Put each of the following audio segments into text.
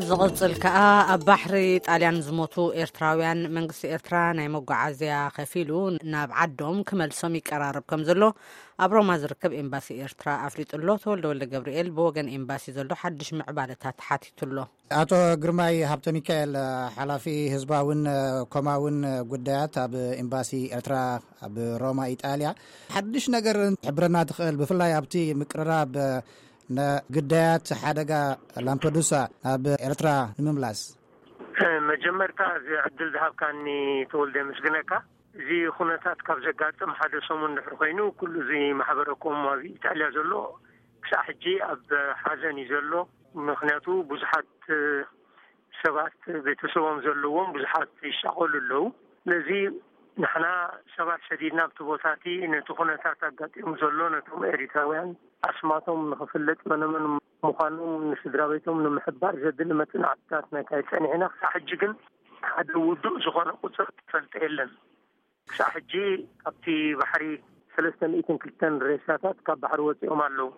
ዝቕጽል ከኣ፣ ኣብ ባሕሪ ጣልያን ዝሞቱ ኤርትራውያን፣ መንግስቲ ኤርትራ ናይ መጓዓዝያ ከፊሉ ናብ ዓዶም ክመልሶም ይቀራረብ ከም ዘሎ ኣብ ሮማ ዝርከብ ኤምባሲ ኤርትራ ኣፍሊጡ ኣሎ። ተወልደ ወልደ ገብርኤል ብወገን ኤምባሲ ዘሎ ሓድሽ ምዕባለታት ሓቲቱ ኣሎ። ኣቶ ግርማይ ሃብተ ሚካኤል፣ ሓላፊ ህዝባውን ኮማውን ጉዳያት ኣብ ኤምባሲ ኤርትራ ኣብ ሮማ ኢጣልያ፣ ሓድሽ ነገር ሕብረና ትኽእል፣ ብፍላይ ኣብቲ ምቅርራብ ንግዳያት ሓደጋ ላምፐዱሳ ናብ ኤርትራ ንምምላስ? መጀመርታ፣ እዚ ዕድል ዝሃብካኒ ተወልደ፣ የመስግነካ። እዚ ኩነታት ካብ ዘጋጥም ሓደ ሰሙን ድሕሪ ኮይኑ፣ ኩሉ እዚ ማሕበረኮም ኣብ ኢጣልያ ዘሎ ክሳዕ ሕጂ ኣብ ሓዘን እዩ ዘሎ። ምኽንያቱ፣ ብዙሓት ሰባት፣ ቤተሰቦም ዘለዎም ብዙሓት ይሻቐሉ ኣለዉ። ስለዚ ንሕና ሰባት ሰዲድና ኣብቲ ቦታ እቲ ነቲ ኩነታት ኣጋጢሙ ዘሎ ነቶም ኤሪትራውያን ኣስማቶም ንኽፍለጥ፣ መነመን ምዃኖም ንስድራ ቤቶም ንምሕባር ዘድሊ መጽናዕትታት ነካይድ ጸኒሕና። ክሳዕ ሕጂ ግን ሓደ ውዱእ ዝኾነ ቁጽሪ ተፈልጠ የለን። ክሳዕ ሕጂ ካብቲ ባሕሪ ሰለስተ ሚእትን ክልተን ሬሳታት ካብ ባሕሪ ወጺኦም ኣለዉ።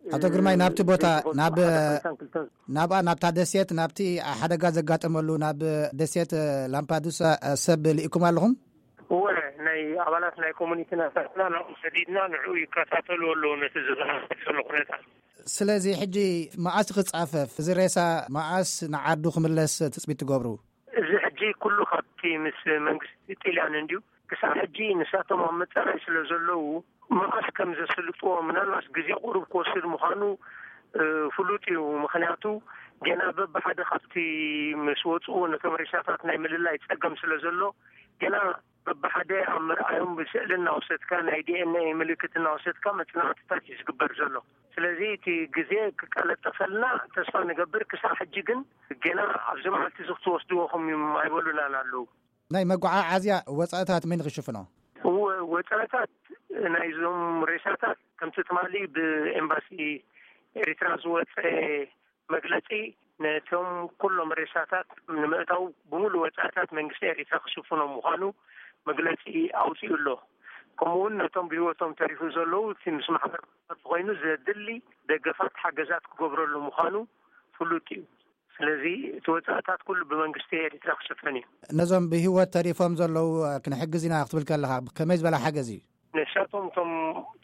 ኣቶ ግርማይ፣ ናብቲ ቦታ፣ ናብ፣ ናብኣ፣ ናብታ ደሴት፣ ናብቲ ሓደጋ ዘጋጠመሉ ናብ ደሴት ላምፓዱሳ ሰብ ልኢኩም ኣለኹም? እወ፣ ናይ ኣባላት ናይ ኮሚኒቲ ናታትና ናብኡ ሰዲድና፣ ንዕኡ ይከታተሉ ኣለዉ ነቲ ዝኸሰት ዘሎ ኩነታት። ስለዚ ሕጂ መኣስ ክጻፈፍ፣ እዚ ሬሳ መኣስ ንዓዱ ክምለስ ትጽቢት ትገብሩ? እዚ ሕጂ ኩሉ ካብቲ ምስ መንግስቲ ጢልያን እንድዩ። ክሳብ ሕጂ ንሳቶም ኣብ መጻረይ ስለ ዘለዉ፣ መኣስ ከም ዘስልጥዎ፣ ምናልባት ግዜ ቁሩብ ክወስድ ምዃኑ፣ እ፣ ፍሉጥ እዩ። ምኽንያቱ፣ ገና በብሓደ ካብቲ ምስ ወጽኡ ነቶም ሬሳታት ናይ ምልላይ ጸገም ስለ ዘሎ፣ ገና በብሓደ ኣብ ምርኣዮም፣ ብስእሊ እናወሰድካ፣ ናይ ዲ ኤን ኤ ምልክት እናወሰድካ መጽናዕትታት እዩ ዝግበር ዘሎ። ስለዚ እቲ ግዜ ክቀለጠፈልና ተስፋ ንገብር። ክሳብ ሕጂ ግን ገና ኣብዚ መዓልቲ እዚ ክትወስድዎ ከም ኣይበሉናን ኣለዉ። ናይ መጓዓዓዝያ ወጻእታት መን ክሽፍኖ? እወ፣ ወጻእታት ናይዞም ሬሳታት ከምቲ ትማሊ ብኤምባሲ ኤሪትራ ዝወጸ መግለጺ፣ ነቶም ኩሎም ሬሳታት ንምእታው ብምሉእ ወጻእታት መንግስቲ ኤሪትራ ክሽፍኖ ምዃኑ መግለጺ ኣውጺኡ ኣሎ። ከምኡ እውን ነቶም ብህይወቶም ተሪፉ ዘለዉ፣ እቲ ምስ ማሕበር ኮይኑ ዘድሊ ደገፋት ሓገዛት ክገብረሉ ምዃኑ ፍሉጥ እዩ። ስለዚ እቲ ወጻእታት ኩሉ ብመንግስቲ ኤሪትራ ክሽፈን እዩ። ነዞም ብህይወት ተሪፎም ዘለዉ ክንሕግዝ ኢና ክትብል ከለኻ፣ ከመይ ዝበለ ሓገዝ እዩ? ንሳቶም እቶም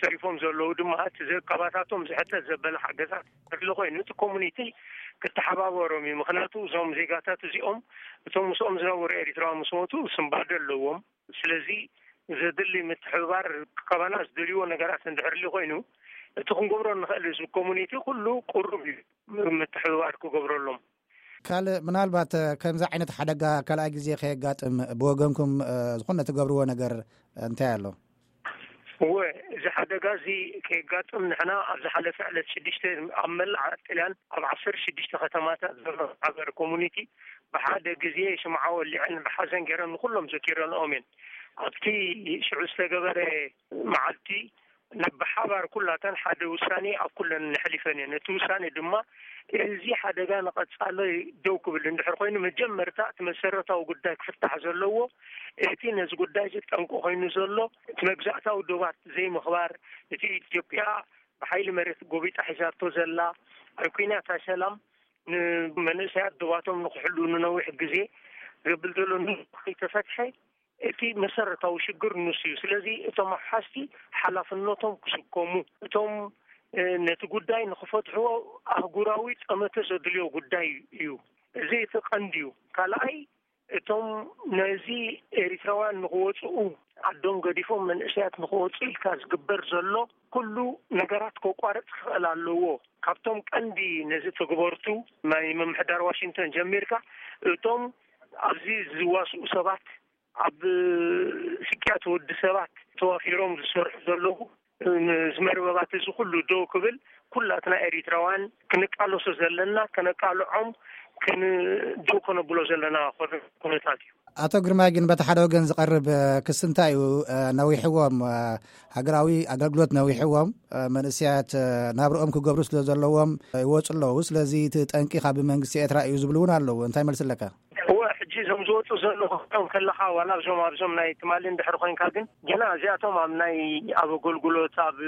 ተሪፎም ዘለዉ ድማ፣ እቲ ዘካባታቶም ዝሕተት ዘበለ ሓገዛት ክህሉ ኮይኑ፣ እቲ ኮሙኒቲ ክተሓባበሮም እዩ። ምኽንያቱ፣ እዞም ዜጋታት እዚኦም፣ እቶም ምስኦም ዝነበሩ ኤሪትራውያን ምስ ሞቱ፣ ስንባደ ኣለዎም። ስለዚ፣ ዘድሊ ምትሕብባር፣ ካባና ዝደልይዎ ነገራት እንድሕር ሊ ኮይኑ፣ እቲ ክንገብሮ ንኽእል፣ እዚ ኮሙኒቲ ኩሉ ቅሩብ እዩ ምትሕብባር ክገብረሎም። ካልእ፣ ምናልባት፣ እ፣ ከምዚ ዓይነት ሓደጋ ካልኣይ ግዜ ከየጋጥም ብወገንኩም፣ እ፣ ዝኾነ ትገብርዎ ነገር እንታይ ኣሎ? እወ፣ እዚ ሓደጋ እዚ ከየጋጥም ንሕና ኣብ ዝሓለፈ ዕለት ሽዱሽተ ኣብ መላእ ጥልያን ኣብ ዓሰርተ ሽዱሽተ ከተማታት ዘሎ ማሕበር ኮሙኒቲ ብሓደ ግዜ ሽምዓ ወሊዐን ብሓዘን ገይረን ንኩሎም ዘኪረንኦም እየን። ኣብቲ ሽዑ ዝተገበረ መዓልቲ ናብ ብሓባር ኩላተን ሓደ ውሳኔ ኣብ ኩለን ነሕሊፈን እየን። እቲ ውሳኔ ድማ እዚ ሓደጋ ንቐጻሊ ደው ክብል እንድሕር ኮይኑ፣ መጀመርታ እቲ መሰረታዊ ጉዳይ ክፍታሕ ዘለዎ፣ እቲ ነዚ ጉዳይ እዚ ጠንቂ ኮይኑ ዘሎ እቲ መግዛእታዊ ዶባት ዘይምኽባር፣ እቲ ኢትዮጵያ ብሓይሊ መሬት ጎቢጣ ሒዛቶ ዘላ፣ ኣብ ኲናት ሰላም ንመንእሰያት ዶባቶም ንክሕሉ ንነዊሕ ግዜ ዘብል ዘሎ ንከይተፈትሐ፣ እቲ መሰረታዊ ሽግር ንሱ እዩ። ስለዚ እቶም ኣውሓስቲ ሓላፍነቶም ክስከሙ፣ እቶም፣ እ፣ ነቲ ጉዳይ ንክፈትሕዎ ኣህጉራዊ ጠመተ ዘድልዮ ጉዳይ እዩ። እዚ እቲ ቀንዲ እዩ። ካልኣይ፣ እቶም ነዚ ኤሪትራውያን ንክወፅኡ፣ ዓዶም ገዲፎም መንእሰያት ንክወፁ ኢልካ ዝግበር ዘሎ ኩሉ ነገራት ከቋርፅ ክኽእል ኣለዎ። ካብቶም ቀንዲ ነዚ ተግበርቱ ናይ ምምሕዳር ዋሽንግተን ጀሚርካ፣ እቶም ኣብዚ ዝዋስኡ ሰባት፣ ኣብ ስቅያት ወዲ ሰባት ተዋፊሮም ዝሰርሑ ዘለዉ፣ እዚ መርበባት እዚ ኩሉ ደው ክብል ኩላትና ኤሪትራውያን ክንቃለሶ ዘለና፣ ከነቃልዖም፣ ከን-፣ ደው ከነብሎ ዘለና ኩነታት እዩ። ኣቶ ግርማይ፣ ግን በቲ ሓደ ወገን ዝቐርብ፣ እ፣ ክሲ እንታይ እዩ? እ፣ ነዊሕዎም፣ እ፣ ሃገራዊ ኣገልግሎት ነዊሕዎም፣ እ፣ መንእሰያት፣ እ፣ ናብርኦም ክገብሩ ስለ ዘለዎም፣ እ፣ ይወፁ ኣለዉ። ስለዚ እቲ ጠንቂ ካብ መንግስቲ ኤርትራ እዩ ዝብሉ እውን ኣለዉ። እንታይ መልሲ ኣለካ? እወ፣ ሕጂ እዞም ዝወፁ ዘለዉ ክትሪኦም ከለኻ፣ ዋላ እዞም ኣብዞም ናይ ትማሊ እንድሕር ኮይንካ፣ ግን ገና እዚኣቶም ኣብ ናይ፣ ኣብ ኣገልግሎት፣ ኣብ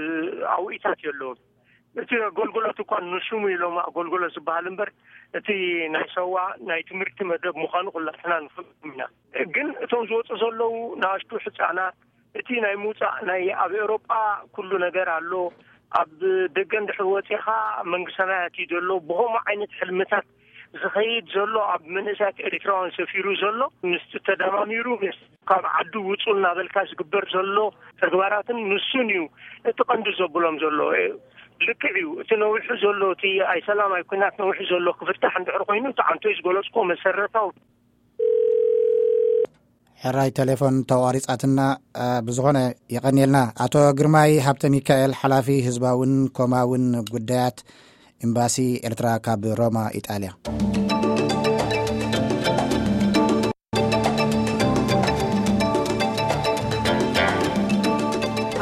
ኣውኢታት የለውን። እቲ ኣገልግሎት እኳ ንሽሙ ኢሎም ኣገልግሎት ዝበሃል እምበር፣ እቲ ናይ ሰዋ ናይ ትምህርቲ መደብ ምዃኑ ኩላትና ንፈልጥ ኢና። ግን እቶም ዝወፁ ዘለዉ ንኣሽቱ ህፃናት፣ እቲ ናይ ምውፃእ ናይ ኣብ ኤውሮጳ ኩሉ ነገር ኣሎ። ኣብ ደገ እንድሕር ወፂኻ መንግስታዊ ኣትዩ ዘሎ ብኸምኡ ዓይነት ሕልምታት ዝኸይድ ዘሎ፣ ኣብ መንእሰያት ኤርትራውያን ሰፊሩ ዘሎ፣ ምስ ተደማሚሩ ምስ ካብ ዓዱ ውፁ እናበልካ ዝግበር ዘሎ ተግባራትን ንሱን እዩ እቲ ቀንዲ ዘብሎም ዘሎ። ልክዕ እዩ፣ እቲ ነዊሑ ዘሎ፣ እቲ ኣይሰላም ኣይኩናት ነዊሑ ዘሎ ክፍታሕ እንድሕር ኮይኑ፣ እቲ ዓንቶይ ዝገለፅኮ መሰረታዊ። ሕራይ ቴሌፎን ተቋሪጻትና። ብዝኾነ፣ የቐንየልና። ኣቶ ግርማይ ሃብተ ሚካኤል፣ ሓላፊ ህዝባውን ኮማውን ጉዳያት ኤምባሲ ኤርትራ ካብ ሮማ፣ ኢጣልያ።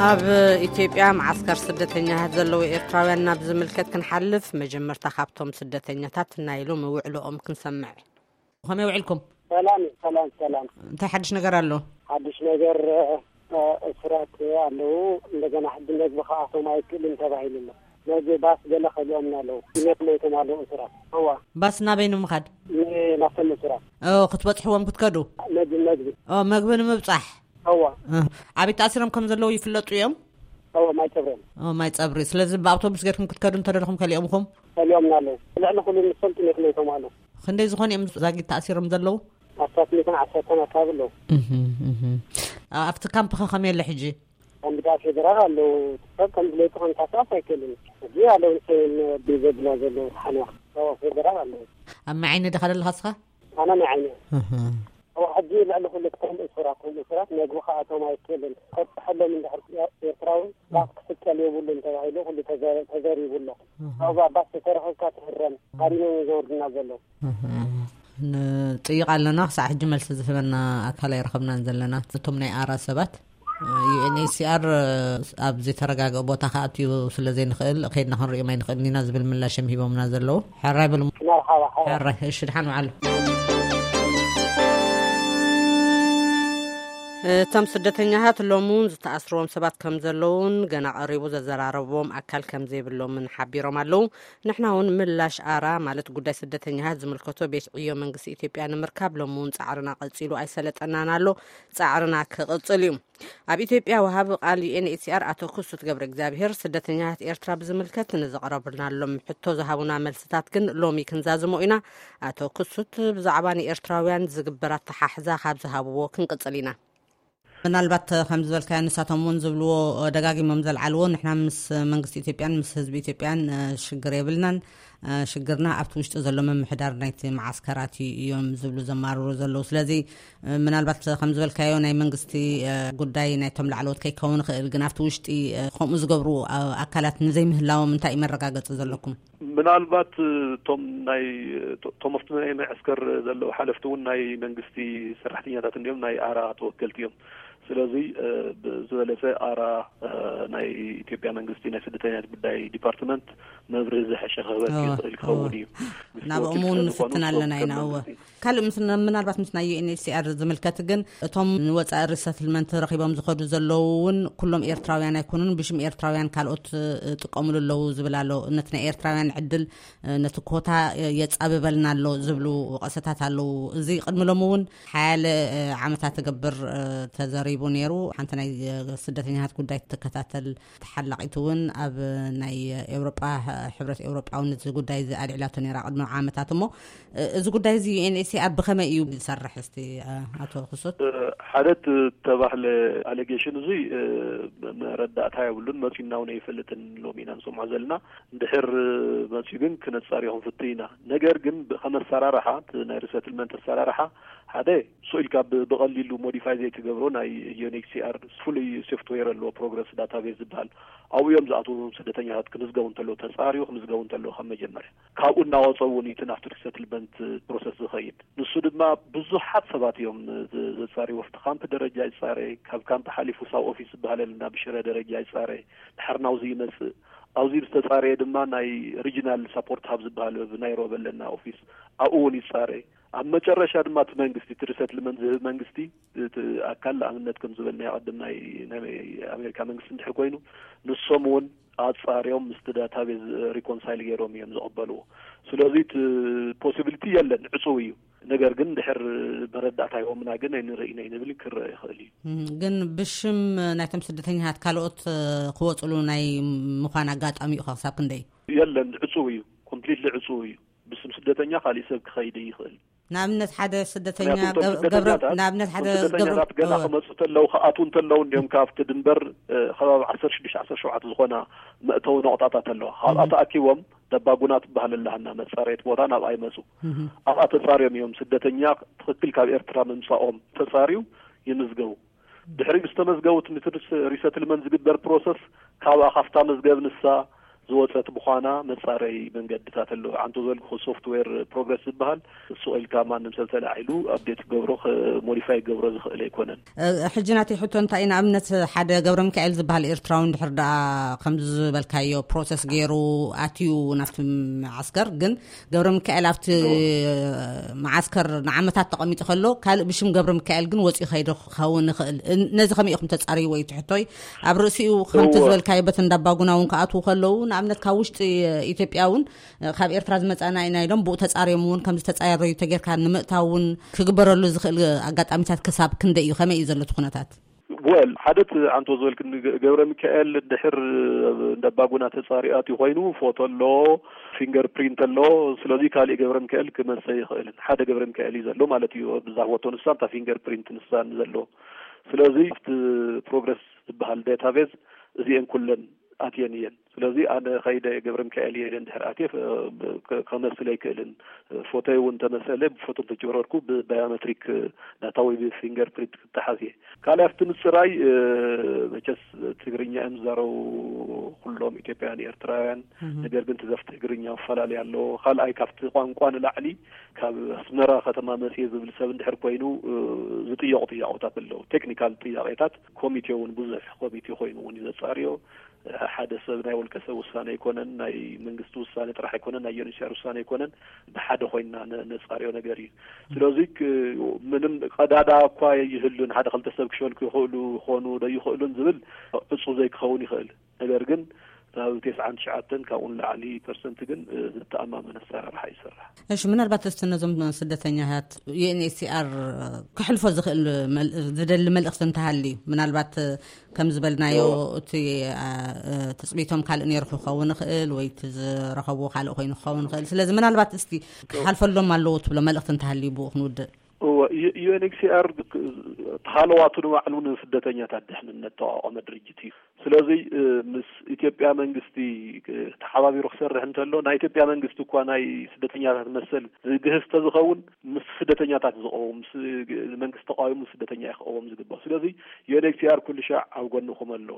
ኣብ ኢትዮጵያ መዓስከር ስደተኛታት ዘለዉ ኤርትራውያን ናብ ዝምልከት ክንሓልፍ፣ መጀመርታ ካብቶም ስደተኛታት ናይ ሎሚ ውዕሎኦም ክንሰምዕ። ከመይ ውዕልኩም? ሰላም ሰላም ሰላም። እንታይ ሓድሽ ነገር ኣሎ? ሓድሽ ነገር እስራት ኣለዉ። እንደገና ሕጂ መግቢ ከኣቶም ኣይክእልን ተባሂሉ ኣሎ። መግቢ ባስ ገለ ከሊኦምና ኣለዉ። ሲነት ሞይቶም ኣለዉ እስራት። እዋ። ባስ ናበይ ንምኻድ? ናብቶም እስራት። ክትበፅሕዎም ክትከዱ? መግቢ መግቢ። መግቢ ንምብፃሕ? እዋ። ኣበይ ተኣሲሮም ከም ዘለዉ ይፍለጡ እዮም? እዋ፣ ማይ ፀብሪ። ማይ ፀብሪ። ስለዚ ብኣውቶቡስ ገርኩም ክትከዱ እንተደለኹም ከሊኦምኹም? ከሊኦምና ኣለዉ። ልዕሊ ኩሉ ንፈልጡ ኔት ሞይቶም ኣለዉ። ክንደይ ዝኾኑ እዮም ዛጊት ተኣሲሮም ዘለዉ? ኣስታት ሚእትን ዓሰርተን ኣካባቢ ኣለዉ። ኣብቲ ካምፕ ከ ከመይ ኣሎ ሕጂ? ኣንቢዳ ፌደራል ኣለዉ። ሰብ ከም ድሌቱ ክንቀሳቀስ ኣይክእልን። ሕጂ ኣለዉ ንሰን ቢዘብና ዘለዉ ሓንዋ። ፌደራል ኣለዉ። ኣብ መዓይኒ ዲኻ ዘለኻ እስኻ? ኣነ መዓይኒ። እዋ ሕጂ ልዕሊ ኩሉ ክቶም እሱራት፣ እቶም እሱራት መግቢ ከኣቶም ኣይክእልን። ከብፅሐሎም እንድሕር ኤርትራዊ ባስ ክስቀል የብሉን ተባሂሉ ኩሉ ተዘሪቡ ኣሎ። ኣብዛ ባስ ተተረኸብካ ትህረም ሃሪሞም እዮም ዘወርዱና ዘለዉ። ንጥይቕ ኣለና። ክሳዕ ሕጂ መልሲ ዝህበና ኣካል ኣይረኸብናን ዘለና። እቶም ናይ ኣራ ሰባት፣ ዩኤንኤችሲኣር ኣብ ዘይተረጋግአ ቦታ ክኣትዩ ስለ ዘይንኽእል ከይድና ክንሪኦም ኣይንኽእልን ኢና ዝብል ምላሽ እዮም ሂቦምና ዘለዉ። ሕራይ በሉ። ሕራይ። እሺ፣ ድሓን ውዓሉ። እቶም ስደተኛታት ሎሚ እውን ዝተኣስርዎም ሰባት ከም ዘለውን ገና ቀሪቡ ዘዘራረብዎም ኣካል ከም ዘይብሎምን ሓቢሮም ኣለዉ። ንሕና እውን ምላሽ ኣራ ማለት ጉዳይ ስደተኛታት ዝምልከቶ ቤት ዕዮ መንግስቲ ኢትዮጵያ ንምርካብ ሎሚ እውን ጻዕርና ቀጺሉ ኣይሰለጠናን ኣሎ። ጻዕርና ክቕጽል እዩ። ኣብ ኢትዮጵያ ወሃቢ ቃል ዩኤንኤችሲኣር ኣቶ ክሱት ገብረ እግዚኣብሔር ስደተኛታት ኤርትራ ብዝምልከት ንዘቕረብናሎም ሕቶ ዝሃቡና መልስታት ግን ሎሚ ክንዛዝሞ ኢና። ኣቶ ክሱት ብዛዕባ ንኤርትራውያን ዝግበር ኣተሓሕዛ ካብ ዝሃብዎ ክንቅጽል ኢና። ምናልባት ከም ዝበልካዮ ንሳቶም እውን ዝብልዎ ደጋጊሞም ዘልዓልዎ ንሕና ምስ መንግስቲ ኢትዮጵያን ምስ ህዝቢ ኢትዮጵያን ሽግር የብልናን። ሽግርና ኣብቲ ውሽጢ ዘሎ ምምሕዳር ናይቲ መዓስከራት እዮም ዝብሉ ዘማርሩ ዘለዉ። ስለዚ ምናልባት ከም ዝበልካዮ ናይ መንግስቲ ጉዳይ ናይቶም ላዕለዎት ከይከውን ይኽእል፣ ግን ኣብቲ ውሽጢ ከምኡ ዝገብሩ ኣካላት ንዘይምህላዎም እንታይ እዩ መረጋገፂ ዘለኩም? ምናልባት እቶም ናይ እቶም ኣብቲ ናይ መዕስከር ዘለዉ ሓለፍቲ እውን ናይ መንግስቲ ሰራሕተኛታት እንዲዮም፣ ናይ ኣራ ተወከልቲ እዮም። ስለዚ ብዝበለፀ ኣራ ናይ ኢትዮጵያ መንግስቲ ናይ ስደተኛታት ጉዳይ ዲፓርትመንት መብርሂ ዝሐሸ ክህበኪ ዝኽእል ክኸውን እዩ። ናብኦም እውን ንፍትን ኣለና ኢና። እወ። ካልእ ምስ ምናልባት ምስ ናይ ዩኤንኤችሲኣር ዝምልከት ግን እቶም ንወፃኢ ሪሰትልመንት ረኺቦም ዝኸዱ ዘለዉ እውን ኩሎም ኤርትራውያን ኣይኮኑን፣ ብሽም ኤርትራውያን ካልኦት ይጥቀምሉ ኣለዉ ዝብል ኣሎ። ነቲ ናይ ኤርትራውያን ዕድል ነቲ ኮታ የጻብበልና ኣሎ ዝብሉ ወቐሰታት ኣለዉ። እዚ ቅድሚ ሎሚ እውን ሓያለ ዓመታት ትገብር ተዘሪቡ ነይሩ። ሓንቲ ናይ ስደተኛታት ጉዳይ ትከታተል ተሓላቒት እውን ኣብ ናይ ኤውሮጳ ሕብረት ኤውሮጳ እውን እዚ ጉዳይ እዚ ኣልዒላቶ ነይራ ቅድሚ ዓመታት። እሞ እዚ ጉዳይ እዚ ዩኤንኤችሲኣር ብኸመይ እዩ ዝሰርሕ? እስቲ ኣቶ ክሱት። ሓደ እቲ ተባህለ ኣሌጌሽን እዚ መረዳእታ የብሉን፣ መፂና እውን ኣይፈልጥን፣ ሎሚ ኢና ንሰምዖ ዘለና። እንድሕር መፂኡ ግን ክነፃርዮ ክንፍትን ኢና። ነገር ግን ከም ኣሰራርሓ እቲ ናይ ሪሰትልመንት ኣሰራርሓ ሓደ ስቕ ኢልካ ብቐሊሉ ሞዲፋይ ዘይትገብሮ ናይ ዩኤንኤችሲኣር ፍሉይ ሶፍትዌር ኣለዎ፣ ፕሮግረስ ዳታቤዝ ዝበሃል። ኣብኡ እዮም ዝኣትዉ ስደተኛታት ክምዝገቡ እንተለዉ፣ ተፃርዩ ክምዝገቡ እንተለዉ ካብ መጀመርያ። ካብኡ እናወፀ እውን እቲ ናብቲ ሪሰትልመንት ፕሮሰስ ዝኸይድ። ንሱ ድማ ብዙሓት ሰባት እዮም ዘፃርዩ። ኣብቲ ካምፕ ደረጃ ይፃረ፣ ካብ ካምፕ ሓሊፉ ሳብ ኦፊስ ዝበሃል ኣለና ብሽረ ደረጃ ይፃረ። ድሓር ናብዚ ይመፅእ። ኣብዚ ዝተፃረየ ድማ ናይ ሪጂናል ሳፖርት ሃብ ዝበሃል ብናይሮቢ ኣለና ኦፊስ፣ ኣብኡ እውን ይፃረ። ኣብ መጨረሻ ድማ እቲ መንግስቲ፣ እቲ ሪሰትልመንት ዝህብ መንግስቲ፣ እቲ ኣካል ንኣብነት ከም ዝበልናዮ ቅድም ናይ፣ ናይ ኣሜሪካ መንግስቲ እንድሕር ኮይኑ፣ ንሶም እውን ኣጻርዮም ምስቲ ዳታቤዝ ሪኮንሳይል ገይሮም እዮም ዝቕበልዎ። ስለዚ እቲ ፖሲቢሊቲ የለን፣ ዕጹው እዩ። ነገር ግን ድሕር መረዳእታ ሂቦምና ግን ኣይንርእይን እዩ ንብል ክረአ ይኽእል እዩ። እም፣ ግን ብሽም ናይቶም ስደተኛታት ካልኦት፣ እ፣ ክወፅሉ ናይ ምዃን ኣጋጣሚ እዩ ክሳብ ክንደይ? የለን፣ ዕጹው እዩ፣ ኮምፕሊትሊ ዕጹው እዩ። ብስም ስደተኛ ካሊእ ሰብ ክኸይድ ይኽእል። ንኣብነት ሓደ ስደተኛ ምክንያቱ እቶም ገብ-፣ ገብረ-፣ ስደተኛታት፣ ንኣብነት ሓደ እቶም ስደተኛታት ገብረ-፣ ገና እወ። ክመፁ እንተለዉ፣ ክኣትዉ እንተለዉ እንዲዮም ካብቲ ድንበር፣ እ፣ ከባቢ ዓሰርተ ሽዱሽተ ዓሰርተ ሸውዓተ ዝኾና መእተዊ ነቑጣታት ኣለዋ። ኣብኣ እም። ተኣኪቦም ደባጉና ትበሃል ኣላሃና መጻረየት ቦታ ናብኣ ይመጹ። እም። ኣብኣ ተጻርዮም እዮም ስደተኛ ትኽክል ካብ ኤርትራ ምምጻኦም ተጻርዩ ይምዝገቡ። ድሕሪ ምስ ተመዝገቡ እቲ ሪስ-፣ ሪሰትልመንት ዝግበር ፕሮሰስ ካብኣ ካብታ መዝገብ ንሳ ዝወጸት ምዃና መጻረይ መንገድታት ኣለዎ። ዓንቶ ዘልኩ ሶፍትዌር ፕሮግረስ ዝበሃል ስቕ ኢልካ ማንም ሰብ ተላዒሉ ኣፕዴት ክገብሮ፣ ከ-፣ ሞዲፋይ ክገብሮ ዝኽእል ኣይኮነን። እ፣ ሕጂ ናተይ ሕቶ እንታይ እዩ? ንኣብነት ሓደ ገብረ ሚካኤል ዝበሃል ኤርትራዊ እንድሕር ደኣ ከምዚ ዝበልካዮ ፕሮሰስ ገይሩ ኣትዩ ናብቲ መዓስከር፣ ግን ገብረ ሚካኤል ኣብቲ እዎ። መዓስከር ንዓመታት ተቐሚጡ ከሎ ካልእ ብሽም ገብረ ሚካኤል ግን ወፂኡ ከይዱ ክኸውን ይኽእል። እ፣ ነዚ ከመይ ኢኹም ተጻርይዎ እዩ እቲ ሕቶይ? ኣብ ርእሲኡ ከምቲ እዎ። ዝበልካዮ በቲ እንዳባጉና እውን ክኣትዉ ከለዉ ንኣብነት ካብ ውሽጢ ኢትዮጵያ እውን ካብ ኤርትራ ዝመጻና ኢና ኢሎም ብኡ ተጻርዮም እውን ከም ዝተጻረዩ ተጌርካ ንምእታው እውን ክግበረሉ ዝኽእል ኣጋጣሚታት ክሳብ ክንደይ እዩ? ከመይ እዩ ዘሎ እቲ ኩነታት? ወል፣ ሓደ እቲ ኣንቶ ዝበልክኒ ገ-፣ ገብረ ሚካኤል ድሕር እንደ ኣባጉና ተጻሪኡ ኣትዩ ኮይኑ ፎቶ ኣሎ፣ ፊንገር ፕሪንት ኣሎ። ስለዚ ካሊእ ገብረ ሚካኤል ክመጸ ይኽእልን። ሓደ ገብረ ሚካኤል እዩ ዘሎ ማለት እዩ። ብዛ ፎቶ ንሳ፣ እታ ፊንገር ፕሪንት ንሳን ዘሎ። ስለዚ ኣብቲ ፕሮግረስ ዝበሃል ዳታቤዝ እዚኤን ኩለን ኣትየን እየን። ስለዚ ኣነ ከይደ ገብረ ሚካኤል እየ ኢለ እንድሕር ኣትየ፣ ከ-፣ ከመስል ኣይክእልን። ፎቶይ እውን እንተመሰለ ብፎቶ እንተጀረርኩ ብባዮሜትሪክ ዳታ ወይ ብፊንገር ፕሪንት ክተሓዝ እየ። ካልኣይ ኣብቲ ምጽራይ፣ እ፣ መቸስ ትግርኛ እዮም ዝዛረቡ ኩሎም ኢትዮጵያውያን ኤርትራውያን። እህ። ነገር ግን ትዘፍ ትግርኛ መፈላለይ ኣለዎ። ካልኣይ ካብቲ ቋንቋ ንላዕሊ ካብ ኣስመራ ከተማ መጽየ ዝብል ሰብ እንድሕር ኮይኑ፣ እ፣ ዝጥየቑ ጥያቄታት ኣለዉ። ቴክኒካል ጥያቄታት ኮሚቴ እውን ብዙሕ ኮሚቴ ኮይኑ እውን እዩ ዘጻርዮ። ሓደ ሰብ ናይ ውልቀ ሰብ ውሳነ ኣይኮነን፣ ናይ መንግስቲ ውሳነ ጥራሕ ኣይኮነን፣ ናይ ዩኤንኤችሲኣር ውሳነ ኣይኮነን። ብሓደ ኮይንና ነ-፣ ነጻርዮ ነገር እዩ። ስለዚ ክ-፣ ምንም ቀዳዳ እኳ ይህሉን፣ ሓደ ክልተ ሰብ ክሸልኩ ይኽእሉ ይኾኑ ዶ ይኽእሉን ዝብል ዕጹ ዘይክኸውን ይኽእል። ነገር ግን ካብ ተስዓን ትሽዓተን ካብኡ ንላዕሊ ፐርሰንት ግን፣ እ፣ ዝተኣማመን ኣሰራርሓ ይሰርሕ። እሺ፣ ምናልባት እስቲ ነዞም ስደተኛታት ዩኤንኤችሲኣር ክሕልፎ ዝኽእል መል-፣ ዝደሊ መልእኽቲ እንተሃልዩ፣ ምናልባት ከም ዝበልናዮ እዎ። እቲ፣ አ፣ እ፣ ትጽቢቶም ካልእ ነይሩ ክኸውን ይኽእል ወይ እቲ ዝረኸብዎ ካልእ ኮይኑ ክኸውን ይኽእል። ስለዚ ምናልባት እስቲ ክሓልፈሎም ኣለዎ ትብሎ መልእኽቲ እንተሃልዩ ብኡ ክንውድእ። እዎ፣ ዩ-፣ ዩኤንኤችሲኣር ክ-፣ ተሃለዋቱ ንባዕሉ ንስደተኛታት ድሕንነት ተቋቋመ ድርጅት እዩ። ስለዚ፣ እ፣ ምስ ኢትዮጵያ መንግስቲ፣ እ፣ ተሓባቢሩ ክሰርሕ እንተሎ፣ ናይ ኢትዮጵያ መንግስቲ እኳ ናይ ስደተኛታት መሰል ዝግህስ ተዝኸውን፣ ምስ ስደተኛታት ዝቐውም፣ ምስ መንግስቲ ተቃዊሙ ስደተኛ እዩ ክቐውም ዝግባእ። ስለዚ ዩኤንኤችሲኣር ኩሉ ሻዕ ኣብ ጎንኹም ኣሎ።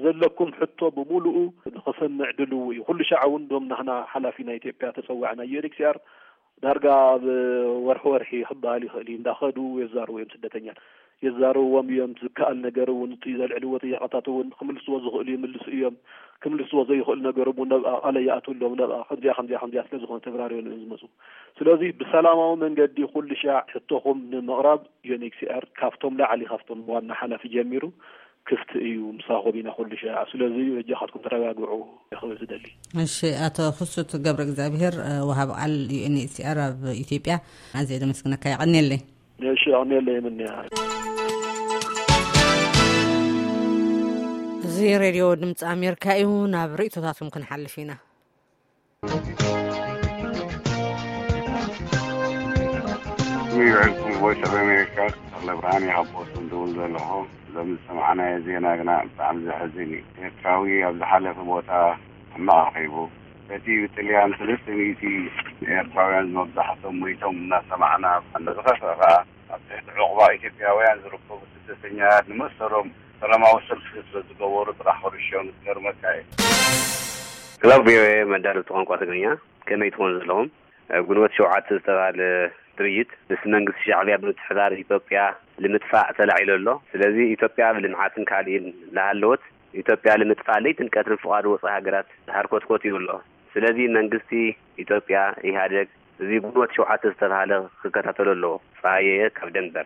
ዘለኩም ሕቶ ብምሉኡ ንኸሰምዕ ድልው እዩ። ኩሉ ሻዕ እውን ዶም ናህና ሓላፊ ናይ ኢትዮጵያ ተጸዋዕና ዩኤንኤችሲኣር ዳርጋ ኣብ ወርሒ ወርሒ ክበሃል ይኽእል እዩ። እንዳኸዱ የዛርቡ እዮም ስደተኛታት። የዛርብዎም እዮም። ዝከኣል ነገር እውን፣ እቲ ዘልዕልዎ ጥያቐታት እውን ክምልስዎ ዝኽእሉ ይምልሱ እዮም። ክምልስዎ ዘይኽእሉ ነገር እውን ነብኣ ቃለ ይኣትውሎም። ነብኣ ከምዚኣ፣ ከምዚኣ፣ ከምዚኣ ስለ ዝኾነ ተብራርዮም እዮም ዝመፁ። ስለዚ ብሰላማዊ መንገዲ ኩሉ ሻዕ ሕቶኹም ንምቕራብ ዩኤንኤችሲኣር ካብቶም ላዕሊ፣ ካብቶም ዋና ሓላፊ ጀሚሩ ክፍቲ እዩ። ምሳኹም ኢና ኩሉ ሻዕ። ስለዚ በጃኻትኩም ተረጋግዑ ክብል ዝደሊ። እሺ፣ ኣቶ ክሱት ገብረ እግዚኣብሔር፣ እ፣ ወሃብ ቃል ዩኤንኤችሲኣር ኣብ ኢትዮጵያ፣ ኣዝየ ደመስግነካ። የቐንየለይ። እሺ፣ ኣቕንየለይ። ምንያ። እዚ ሬድዮ ድምፂ ኣሜሪካ እዩ። ናብ ርእይቶታትኩም ክንሓልፍ ኢና። ይውዕልኩም። ቮይስ ኦፍ ኣሜሪካ፣ ተኽለ ብርሃን እየ ካብ ቦስተን ዝደውል ዘለኹ። ሎሚ ዝሰማዕናዮ ዜና ግና ብጣዕሚ ዘሕዝን እዩ። ኤርትራዊ ኣብ ዝሓለፈ ቦታ ሕማቕ ረኺቡ። በቲ ብጥልያን ሰለስተ ሚእቲ ኤርትራውያን መብዛሕቶም ሞይቶም እናሰማዕና፣ ዝኸፍአ ከኣ ኣብ ትሕቲ ዑቕባ ኢትዮጵያውያን ዝርከቡ ስደተኛታት ንመሰሎም ሰላማዊ ሰልፊ ስለ ዝገበሩ ጥራሕ ክርሽዮም ዝገርመካ እዩ። ክለብ ቪኦኤ መዳለብቲ ቋንቋ ትግርኛ፣ ከመይ ትኾኑ ዘለኹም? ኣብ ግንቦት ሸውዓተ ዝተባህለ ድርጅት ምስ መንግስቲ ሻዕብያ ብምትሕብባር ኢትዮጵያ ንምጥፋእ ተላዒሉ ኣሎ። ስለዚ ኢትዮጵያ ብልምዓትን ካልእን ላሃለወት ኢትዮጵያ ንምጥፋእ ለይትን ቀትርን ፍቓድ ወጻኢ ሃገራት ዝሃርኮትኮት እዩ ኣሎ። ስለዚ መንግስቲ ኢትዮጵያ፣ ኢህኣደግ፣ እዚ ግንቦት ሸውዓተ ዝተባህለ ክከታተሎ ኣለዎ። ጸሃየ ካብ ደንበር።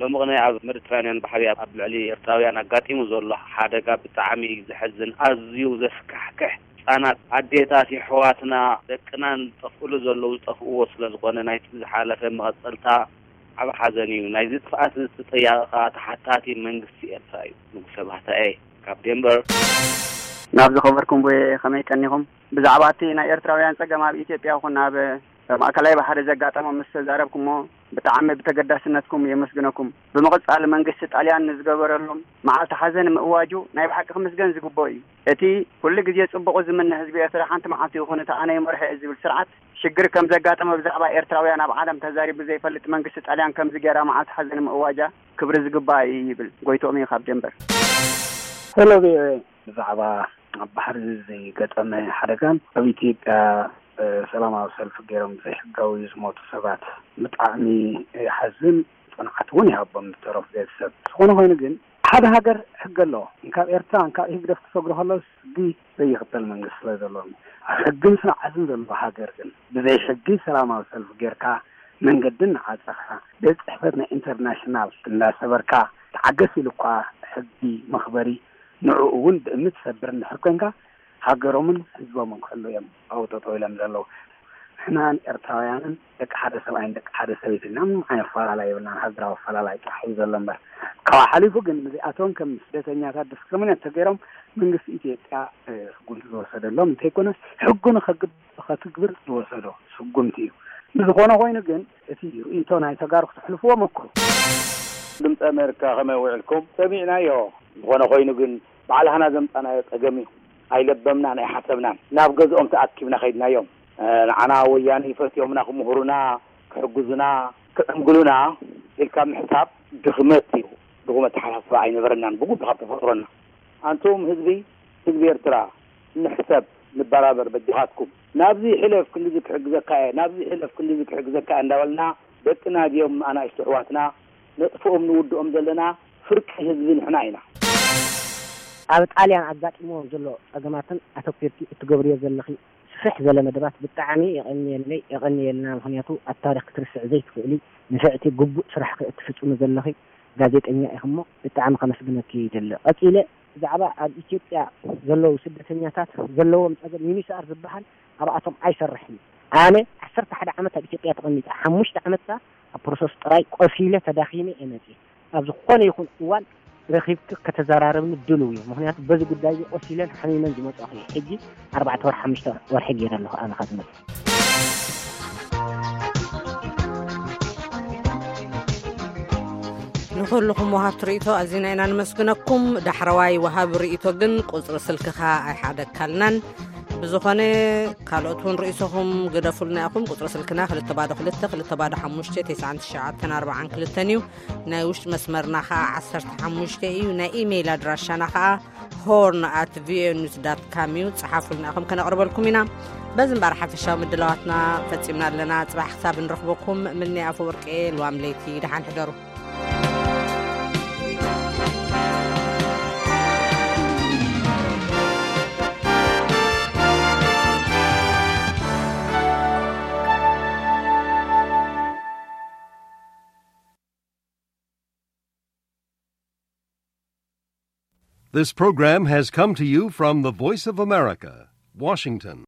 ሎሚ ቅነ ኣብ ሜዲትራንያን ባሕሪ ኣብ ልዕሊ ኤርትራውያን ኣጋጢሙ ዘሎ ሓደጋ ብጣዕሚ ዘሕዝን፣ ኣዝዩ ዘስካሕክሕ፣ ህጻናት ኣዴታት የሕዋትና ደቅናን ዝጠፍእሉ ዘለዉ ዝጠፍእዎ ስለ ዝኾነ ናይቲ ዝሓለፈ መቐጸልታ ዓቢ ሓዘን እዩ። ናይዚ ጥፍኣት ተጠያቒ ከኣ ተሓታቲ መንግስቲ ኤርትራ እዩ። ንጉሰ ባህታኤ ካብ ዴንቨር። ናብ ዝኸበርኩም ቦየ ከመይ ቀኒኹም? ብዛዕባ እቲ ናይ ኤርትራውያን ጸገም ኣብ ኢትዮጵያ ይኹን ኣብ ማእከላይ ባሕሪ ዘጋጠሞም ምስ ተዛረብኩሞ ብጣዕሚ ብተገዳስነትኩም የመስግነኩም። ብምቕጻል መንግስቲ ጣልያን ንዝገበረሎም መዓልቲ ሓዘን ምእዋጁ ናይ ብሓቂ ክምስገን ዝግብኦ እዩ። እቲ ኩሉ ግዜ ጽቡቑ ዝምነ ህዝቢ ኤርትራ ሓንቲ መዓልቲ ይኹን እቲ ኣነ ይመርሖ እየ ዝብል ስርዓት ሽግር ከም ዘጋጠመ ብዛዕባ ኤርትራውያን ኣብ ዓለም ተዛሪቡ ዘይፈልጥ መንግስቲ ጣልያን ከምዚ ጌራ መዓልቲ ሓዘን ምእዋጃ ክብሪ ዝግባእ እዩ ይብል። ጎይትኦም እዩ ካብ ደንበር። ሄሎ ቪኦኤ፣ ብዛዕባ ኣብ ባሕሪ ዝገጠመ ሓደጋን ኣብ ኢትዮጵያ ሰላማዊ ሰልፊ ገይሮም ዘይሕጋዊ ዝሞቱ ሰባት ብጣዕሚ ይሓዝን፣ ጽንዓት እውን ይሃቦም ዝተረፉ ቤተሰብ። ዝኾነ ኮይኑ ግን ሓደ ሃገር ሕጊ ኣለዎ። እንካብ ኤርትራ እንካብ ህግደፍ ክሰግሩ ከለውስ ህጊ ዘይኽተል መንግስቲ ስለ ዘሎ፣ ኣብ ሕግን ስርዓትን ዘለዎ ሃገር ግን ብዘይ ሕጊ ሰላማዊ ሰልፊ ጌርካ መንገዲ እናዓጸኻ፣ ቤት ጽሕፈት ናይ ኢንተርናሽናል እንዳሰበርካ፣ ተዓገስ ኢሉ እኳ ሕጊ መኽበሪ ንዕኡ እውን ብእምኒ ትሰብር እንድሕር ኮንካ፣ ሃገሮምን ህዝቦምን ክሕሉ እዮም ኣብኡ ጠጠው ኢሎም ዘለዉ። ንሕና ኤርትራውያንን ደቂ ሓደ ሰብኣይን ደቂ ሓደ ሰበይትን ኢና። ምንም ዓይነት ኣፈላላይ የብልናን። ሃገራዊ ኣፈላላይ ጥራሕ እዩ ዘሎ እምበር። ካብኡ ሓሊፉ ግን እዚኣቶም ከም ስደተኛታት ዲስክሪሚኔት ተገይሮም መንግስቲ ኢትዮጵያ፣ እ፣ ስጉምቲ ዝወሰደሎም እንተይኮነስ ሕጉ ንኸግብ-፣ ኸትግብር ዝወሰዶ ስጉምቲ እዩ። ንዝኾነ ኮይኑ ግን እቲ ርእይቶ ናይ ተጋሩ ክተሕልፍዎ መክሩ። ድምፂ ኣሜሪካ ከመይ ውዒልኩም? ሰሚዕናዮ። ዝኾነ ኮይኑ ግን ባዕላህና ዘምፃናዮ ፀገም እዩ። ኣይለበምናን ኣይሓሰብናን። ናብ ገዝኦም ተኣኪብና ከይድናዮም። እ፣ ንዓና ወያነ ይፈትዮምና ክምሁሩና፣ ክሕግዙና፣ ክዕንግሉና ኢልካ ምሕሳብ ድኽመት እዩ። ድኹም ኣተሓሳስባ ኣይነበረናን ብጉቢ ካብ ተፈጥሮና። ኣንቱም ህዝቢ፣ ህዝቢ ኤርትራ፣ ንሕሰብ፣ ንበራበር በጃኻትኩም። ናብዚ ሕለፍ ክንድዚ ክሕግዘካ እየ፣ ናብዚ ሕለፍ ክንድዚ ክሕግዘካ እየ እንዳበልና ደቅና ድዮም ኣናእሽቱ ኣሕዋትና ነጥፍኦም ንውድኦም ዘለና ፍርቂ ህዝቢ ንሕና ኢና። ኣብ ጣልያን ኣጋጢምዎም ዘሎ ጸገማትን ኣተኲርኪ እትገብርዮ ዘለኺ ስፍሕ ዝበለ መደባት ብጣዕሚ የቐንየለይ፣ የቐንየልና። ምኽንያቱ ኣብ ታሪኽ ክትርስዕ ዘይትኽእሊ ንፍዕቲ ግቡእ ስራሕኺ እትፍጽሚ ዘለኺ ጋዜጠኛ ኢኺ እሞ ብጣዕሚ ከመስግነኪ ይደሊ። ቀጺለ ብዛዕባ ኣብ ኢትዮጵያ ዘለዉ ስደተኛታት ዘለዎም ጸገም ዩኒስኣር ዝበሃል ኣብኣቶም ኣይሰርሕን እዩ። ኣነ ዓሰርተ ሓደ ዓመት ኣብ ኢትዮጵያ ተቐሚጠ፣ ሓሙሽተ ዓመት ከኣ ኣብ ፕሮሰስ ጥራይ ቆሲለ ተዳኺመ እየ መጽየ። ኣብ ዝኾነ ይኹን እዋን ረኺብኪ ከተዘራርብኒ ድሉው እየ። ምኽንያቱ በዚ ጉዳይ እዚ ቆሲለን ሓሚመን ዝመጻኹ እየ። ሕጂ ኣርባዕተ ወርሒ፣ ሓሙሽተ ወርሒ ገይረ ኣለኹ ኣነ ካብ ዝመጽእ። ንኹልኹም ወሃብቲ ርእይቶ ኣዚና ኢና ንመስግነኩም። ዳሕረዋይ ወሃቢ ርእይቶ ግን ቁጽሪ ስልክኻ ኣይሓደግካልናን። ብዝኾነ ካልኦት እውን ርእይቶኹም ግደፉልና ኢኹም። ቁጽሪ ስልክና ክልተ ባዶ ክልተ፣ ክልተ ባዶ ሓሙሽተ፣ ተስዓን ትሽዓተን ኣርባዓን ክልተን እዩ። ናይ ውሽጢ መስመርና ኸዓ ዓሰርተ ሓሙሽተ እዩ። ናይ ኢሜይል ኣድራሻና ኸዓ ሆርን ኣት ቪኦኤ ኒውስ ዳት ካም እዩ። ጸሓፉልና ኢኹም ከነቕርበልኩም ኢና። በዚ እምበኣር ሓፈሻዊ ምድላዋትና ፈጺምና ኣለና። ጽባሕ ክሳብ ንረኽበኩም ምንያ ኣፈወርቂ እየ። ልዋም ለይቲ ደሓን ሕደሩ። This program has come to you from the Voice of America, Washington.